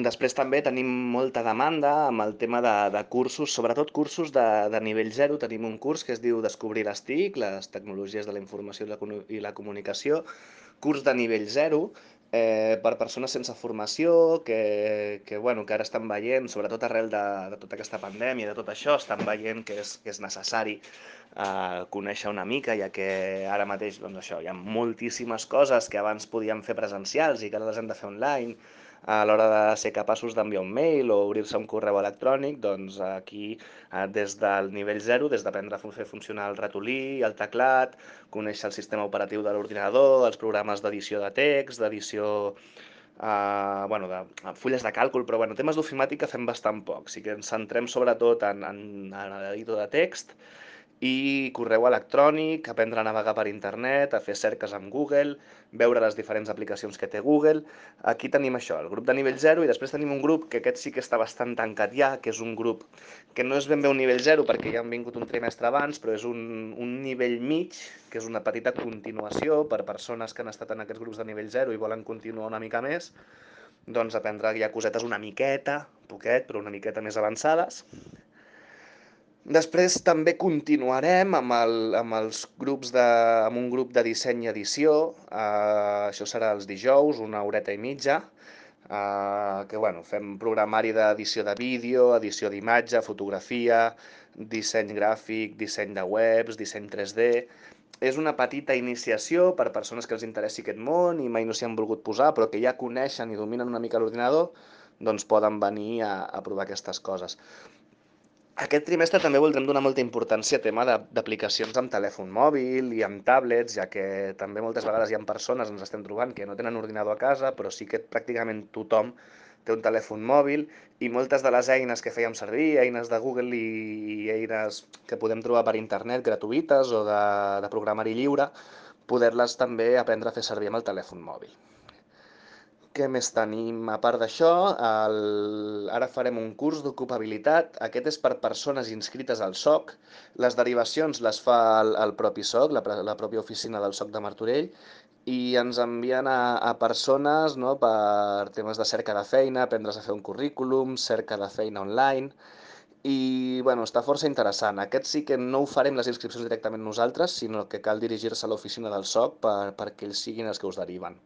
Després també tenim molta demanda amb el tema de cursos, sobretot cursos de nivell zero. Tenim un curs que es diu Descobrir les TIC, les tecnologies de la informació i la comunicació, curs de nivell zero, per persones sense formació bueno, que ara estan veient, sobretot arrel de tota aquesta pandèmia, de tot això, estan veient que és necessari conèixer una mica, ja que ara mateix doncs això, hi ha moltíssimes coses que abans podíem fer presencials i que ara les hem de fer online, a l'hora de ser capaços d'enviar un mail o obrir-se un correu electrònic, doncs aquí des del nivell zero, des d'aprendre a fer funcionar el ratolí, el teclat, conèixer el sistema operatiu de l'ordinador, els programes d'edició de text, d'edició bueno, de fulles de càlcul, però bueno, temes d'ofimàtica fem bastant poc. Sí que ens centrem sobretot en l'editor de text i correu electrònic, aprendre a navegar per internet, a fer cerques amb Google, veure les diferents aplicacions que té Google. Aquí tenim això, el grup de nivell zero, i després tenim un grup que aquest sí que està bastant tancat ja, que és un grup que no és ben bé un nivell zero perquè ja han vingut un trimestre abans, però és un nivell mig, que és una petita continuació per persones que han estat en aquests grups de nivell zero i volen continuar una mica més, doncs aprendre ja cosetes una miqueta, poquet, però una miqueta més avançades. Després també continuarem amb un grup de disseny i edició, això serà els dijous, una horeta i mitja, que bueno, fem programari d'edició de vídeo, edició d'imatge, fotografia, disseny gràfic, disseny de webs, disseny 3D. És una petita iniciació per persones que els interessi aquest món i mai no s'hi han volgut posar, però que ja coneixen i dominen una mica l'ordinador, doncs poden venir a provar aquestes coses. Aquest trimestre també voldrem donar molta importància a tema d'aplicacions amb telèfon mòbil i amb tablets, ja que també moltes vegades hi ha persones, ens estem trobant, que no tenen ordinador a casa, però sí que pràcticament tothom té un telèfon mòbil, i moltes de les eines que fèiem servir, eines de Google i eines que podem trobar per internet gratuïtes o de programari lliure, poder-les també aprendre a fer servir amb el telèfon mòbil. Què més tenim? A part d'això, ara farem un curs d'ocupabilitat. Aquest és per persones inscrites al SOC. Les derivacions les fa el propi SOC, la pròpia oficina del SOC de Martorell, i ens envien a persones, no, per temes de cerca de feina, aprendre's a fer un currículum, cerca de feina online, i bueno, està força interessant. Aquest sí que no ho farem les inscripcions directament nosaltres, sinó que cal dirigir-se a l'oficina del SOC perquè ells siguin els que us deriven.